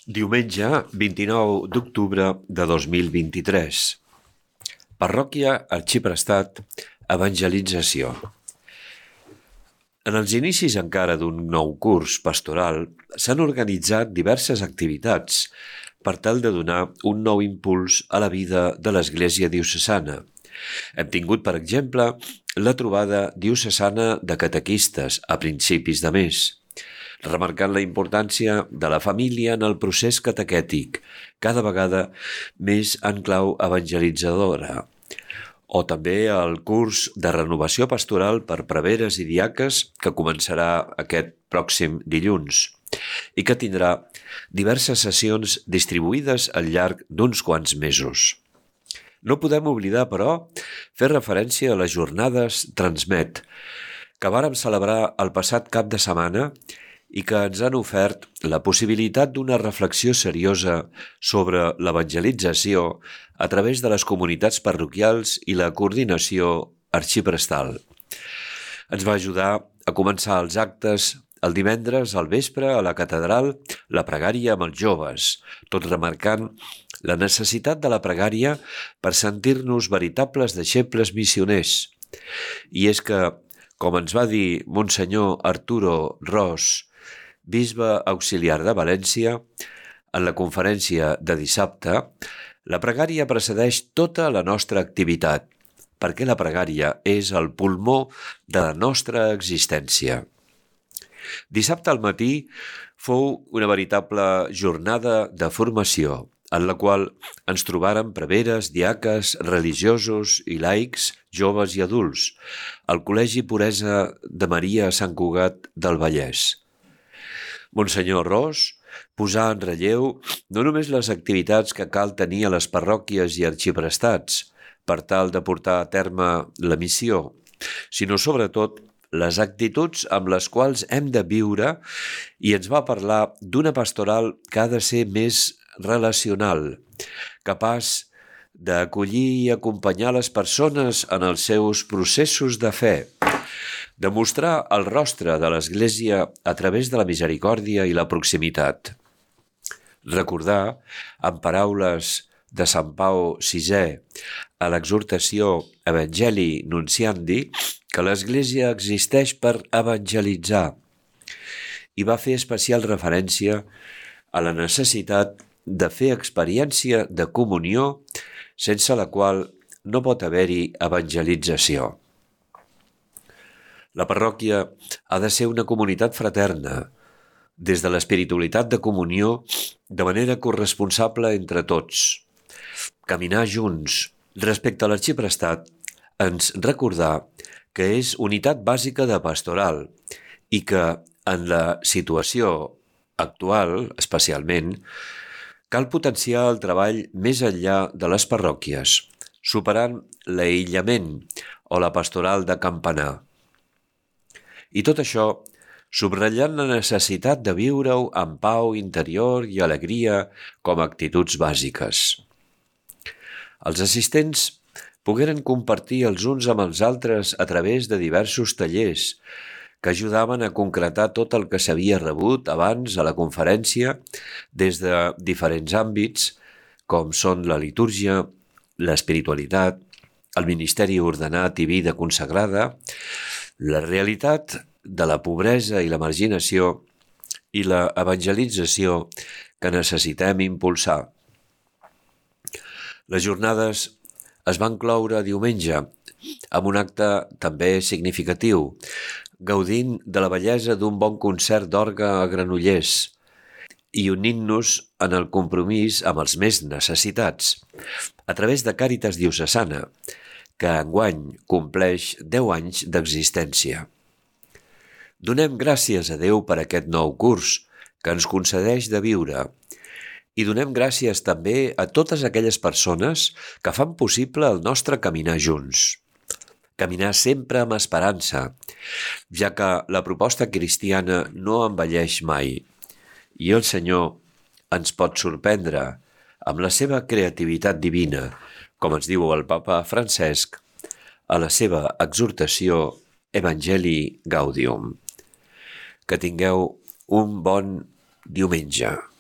Diumenge 29 d'octubre de 2023. Parròquia Arxiprestat, evangelització. En els inicis encara d'un nou curs pastoral s'han organitzat diverses activitats per tal de donar un nou impuls a la vida de l'Església diocesana. Hem tingut, per exemple, la trobada diocesana de catequistes a principis de mes, remarcant la importància de la família en el procés catequètic, cada vegada més en clau evangelitzadora. O també el curs de renovació pastoral per preveres i diaques que començarà aquest pròxim dilluns i que tindrà diverses sessions distribuïdes al llarg d'uns quants mesos. No podem oblidar, però, fer referència a les jornades Transmet, que vàrem celebrar el passat cap de setmana i que ens han ofert la possibilitat d'una reflexió seriosa sobre l'evangelització a través de les comunitats parroquials i la coordinació arxiprestal. Ens va ajudar a començar els actes el divendres al vespre a la catedral la pregària amb els joves, tot remarcant la necessitat de la pregària per sentir-nos veritables deixebles missioners. I és que, com ens va dir Monsenyor Arturo Ros, bisbe auxiliar de València, en la conferència de dissabte, la pregària precedeix tota la nostra activitat, perquè la pregària és el pulmó de la nostra existència. Dissabte al matí fou una veritable jornada de formació, en la qual ens trobàrem preveres, diaques, religiosos i laics, joves i adults, al Col·legi Puresa de Maria a Sant Cugat del Vallès. Monsenyor Ros posà en relleu no només les activitats que cal tenir a les parròquies i arxiprestats per tal de portar a terme la missió, sinó sobretot les actituds amb les quals hem de viure, i ens va parlar d'una pastoral que ha de ser més relacional, capaç d'acollir i acompanyar les persones en els seus processos de fe, de mostrar el rostre de l'Església a través de la misericòrdia i la proximitat. Recordar, amb paraules de Sant Pau VI a l'exhortació Evangelii Nunciandi, que l'Església existeix per evangelitzar, i va fer especial referència a la necessitat de fer experiència de comunió sense la qual no pot haver-hi evangelització. La parròquia ha de ser una comunitat fraterna, des de l'espiritualitat de comunió, de manera corresponsable entre tots. Caminar junts. Respecte a l'arxiprestat, ens recordar que és unitat bàsica de pastoral i que, en la situació actual, especialment, cal potenciar el treball més enllà de les parròquies, superant l'aïllament o la pastoral de campanar. I tot això subratllant la necessitat de viure-ho amb pau interior i alegria com a actituds bàsiques. Els assistents pogueren compartir els uns amb els altres a través de diversos tallers que ajudaven a concretar tot el que s'havia rebut abans a la conferència des de diferents àmbits, com són la litúrgia, l'espiritualitat, el ministeri ordenat i vida consagrada, la realitat de la pobresa i la marginació i la evangelització que necessitem impulsar. Les jornades es van cloure diumenge amb un acte també significatiu, gaudint de la bellesa d'un bon concert d'orgue a Granollers i unint-nos en el compromís amb els més necessitats, a través de Càritas Diocesana, que enguany compleix 10 anys d'existència. Donem gràcies a Déu per aquest nou curs que ens concedeix de viure i donem gràcies també a totes aquelles persones que fan possible el nostre caminar junts. Caminar sempre amb esperança, ja que la proposta cristiana no envelleix mai i el Senyor ens pot sorprendre amb la seva creativitat divina, com ens diu el papa Francesc a la seva exhortació Evangelii Gaudium. Que tingueu un bon diumenge.